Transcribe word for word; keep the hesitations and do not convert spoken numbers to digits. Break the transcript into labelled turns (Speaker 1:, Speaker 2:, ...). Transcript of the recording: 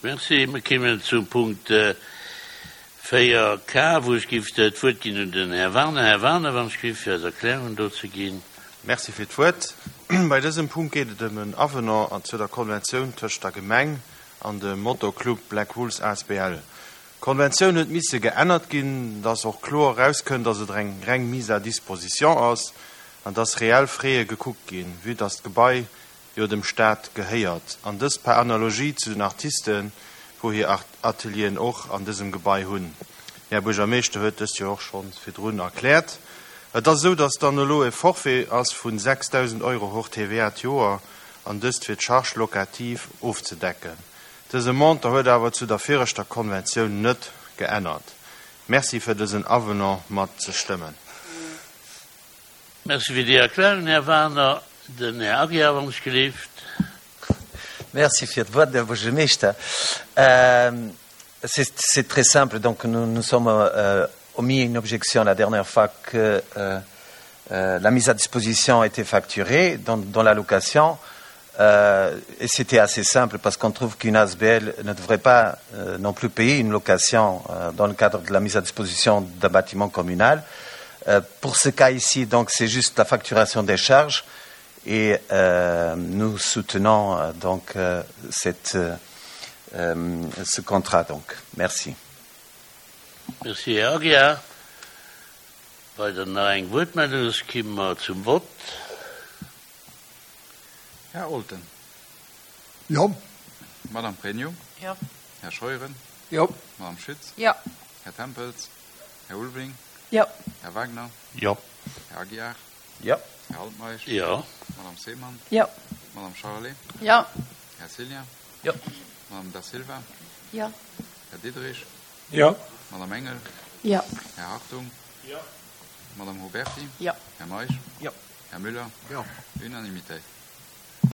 Speaker 1: Merci. Mir kéimen zum Punkt véier K, wou ech géif d'Wuert ginn un den Här Wagener. Här Wagener, wann ech géif, fir eis Erklärungen do ze ginn.
Speaker 2: Merci fir d'Wuert. Bei dësem Punkt geet et ëm en Avenant zu der Konventioun tëscht der Gemeng an dem Motoclub Black Wolves A S B L. D'Konventioun huet misse geännert ginn, dass och kloer erauskënnt, dass et eng reng Mise à disposition ass an dass reell Frais gekuckt ginn, vue dass d'Gebai jo dem Staat gehéiert. An dës per Analogie zu den Artisten, wou hir Atelieren och an dësem Gebai hunn. Här Buergermeeschter huet dëst jo och schonn virdrun erkläert. Et ass esou, dass dann elo e Forfait ass vun sechsdausend Euro hors T V A d'Joer an dëst fir d'Charge locative ofzedecken. Dëse Montant huet awer zu der viregter Konventioun net geännert. Merci fir dësen Avenant mat ze stëmmen.
Speaker 1: Merci fir déi Erklärung, Här Wagener. Den Här Aguiar, wann ech gelift.
Speaker 3: Merci fir d'Wuert, Här Buergermeeschter. Euh, c'est très simple. Donc, nous nous sommes euh, omis une objection la dernière fois que euh, euh, la mise à disposition était facturée dans, dans la location. Euh, et c'était assez simple parce qu'on trouve qu'une A S B L ne devrait pas euh, non plus payer une location euh, dans le cadre de la mise à disposition d'un bâtiment communal. Euh, pour ce cas ici, donc, c'est juste la facturation des charges et euh, nous soutenons euh, donc euh, cette, euh, ce contrat. Donc, merci.
Speaker 1: Merci, Här Aguiar. Weider nach eng Wuertmeldung, soss komme mer zum Vott.
Speaker 4: Här Olten.
Speaker 5: Jo.
Speaker 4: Madame Pregno.
Speaker 6: Jo.
Speaker 4: Här Scheuren.
Speaker 5: Jo.
Speaker 4: Madame Schütz.
Speaker 6: Jo.
Speaker 4: Här Tempels. Här Ulveling.
Speaker 6: Jo.
Speaker 4: Här Wagner.
Speaker 2: Jo.
Speaker 4: Här Aguiar.
Speaker 3: Jo.
Speaker 4: Här Altmeisch.
Speaker 1: Jo.
Speaker 4: Madame Seemann.
Speaker 6: Jo.
Speaker 4: Madame Charlé.
Speaker 6: Jo.
Speaker 4: Här Cillien.
Speaker 3: Jo.
Speaker 4: Madame Da Silva.
Speaker 6: Jo.
Speaker 4: Här Diderich.
Speaker 5: Jo.
Speaker 4: Madame Engel.
Speaker 6: Jo.
Speaker 4: Här Hartung.
Speaker 5: Jo.
Speaker 4: Madame Huberti.
Speaker 6: Jo.
Speaker 4: Här Meisch.
Speaker 3: Jo.
Speaker 4: Här Müller.
Speaker 5: Jo.
Speaker 4: Unanimité.